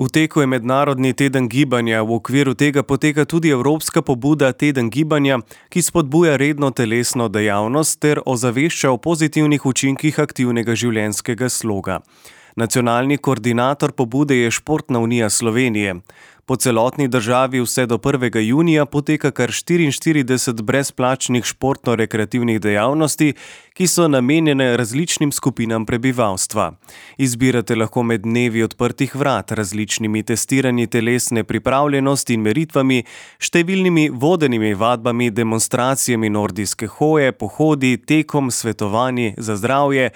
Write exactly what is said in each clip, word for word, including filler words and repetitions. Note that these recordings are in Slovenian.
V teku je mednarodni teden gibanja, v okviru tega poteka tudi evropska pobuda Teden gibanja, ki spodbuja redno telesno dejavnost ter ozavešča o pozitivnih učinkih aktivnega življenjskega sloga. Nacionalni koordinator pobude je Športna unija Slovenije. Po celotni državi vse do prvega junija poteka kar štiriinštirideset brezplačnih športno-rekreativnih dejavnosti, ki so namenjene različnim skupinam prebivalstva. Izbirate lahko med dnevi odprtih vrat, različnimi testiranji telesne pripravljenosti in meritvami, številnimi vodenimi vadbami, demonstracijami nordijske hoje, pohodi, tekom, svetovanji za zdravje,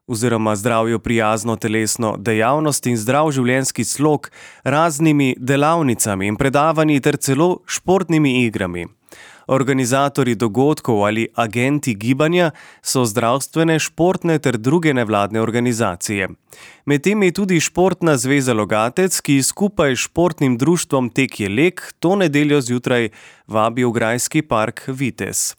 oziroma zdravju prijazno telesno dejavnost in zdrav življenjski slog, raznimi delavnicami in predavanji ter celo športnimi igrami. Organizatorji dogodkov ali agenti gibanja so zdravstvene, športne ter druge nevladne organizacije. Med temi je tudi Športna zveza Logatec, ki skupaj s športnim društvom Tek je lek to nedeljo zjutraj vabi v grajski park Vitez.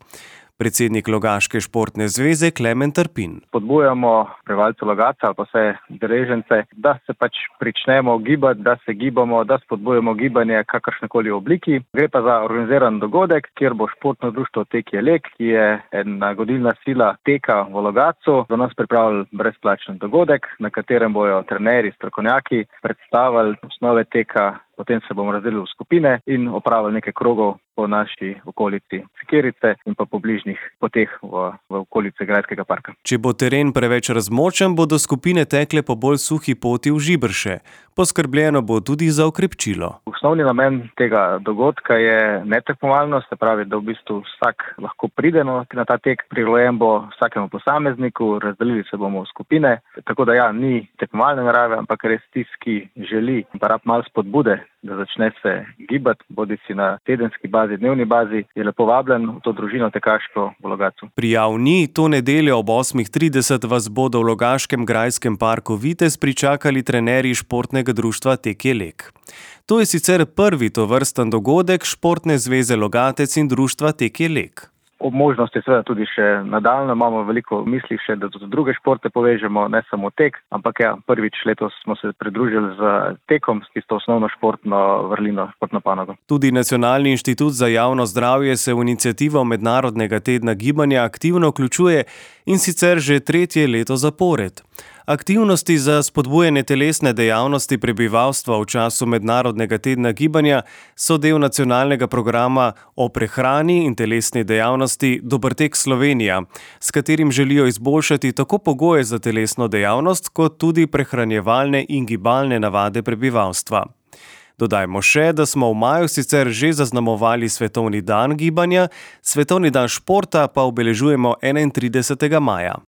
Predsednik Logaške športne zveze Klemen Trpin. Podbujamo prebivalce Logatca ali pa vse udeležence, da se pač pričnemo gibati, da se gibamo, da spodbujamo gibanje kakršnekoli obliki. Gre pa za organiziran dogodek, kjer bo športno društvo Tek je lek, ki je ena gonilna sila teka v Logatcu, za nas pripravili brezplačen dogodek, na katerem bojo trenerji, strokovnjaki predstavili osnove teka. Potem se bomo razdelili v skupine in opravili nekaj krogov po naši okolici Sikirice in pa po bližnjih poteh v, v okolici Grajskega parka. Če bo teren preveč razmočen, bodo skupine tekle po bolj suhi poti v Žiberše. Poskrbljeno bo tudi za okrepčilo. Osnovni namen tega dogodka je netekmovalnost, se pravi, da v bistvu vsak lahko pride na ta tek, prilagojen bo vsakemu posamezniku, razdelili se bomo v skupine, tako da ja, ni tekmovalne narave, ampak res tisti, ki želi, pa rab malo spodbude, da začne se gibati, bodi si na tedenski bazi, dnevni bazi, je lepo vabljen v to družino tekaško v Logatcu. Prijav ni, to nedeljo ob osmih trideset vas bodo v Logaškem grajskem parku Vitez pričakali trenerji športnega društva Tek je lek. To je sicer prvi tovrsten dogodek Športne zveze Logatec in društva Tek je lek. Ob možnosti seveda tudi še nadaljno imamo veliko misli še, da tudi druge športe povežemo, ne samo tek, ampak ja, prvič letos smo se pridružili z tekom, s tisto osnovno športno vrlino, športno panogo. Tudi Nacionalni inštitut za javno zdravje se v iniciativo Mednarodnega tedna gibanja aktivno vključuje in sicer že tretje leto zapored. Aktivnosti za spodbujanje telesne dejavnosti prebivalstva v času Mednarodnega tedna gibanja so del nacionalnega programa o prehrani in telesni dejavnosti Dober tek Slovenija, s katerim želijo izboljšati tako pogoje za telesno dejavnost, kot tudi prehranjevalne in gibalne navade prebivalstva. Dodajmo še, da smo v maju sicer že zaznamovali Svetovni dan gibanja, Svetovni dan športa pa obeležujemo enaintridesetega maja.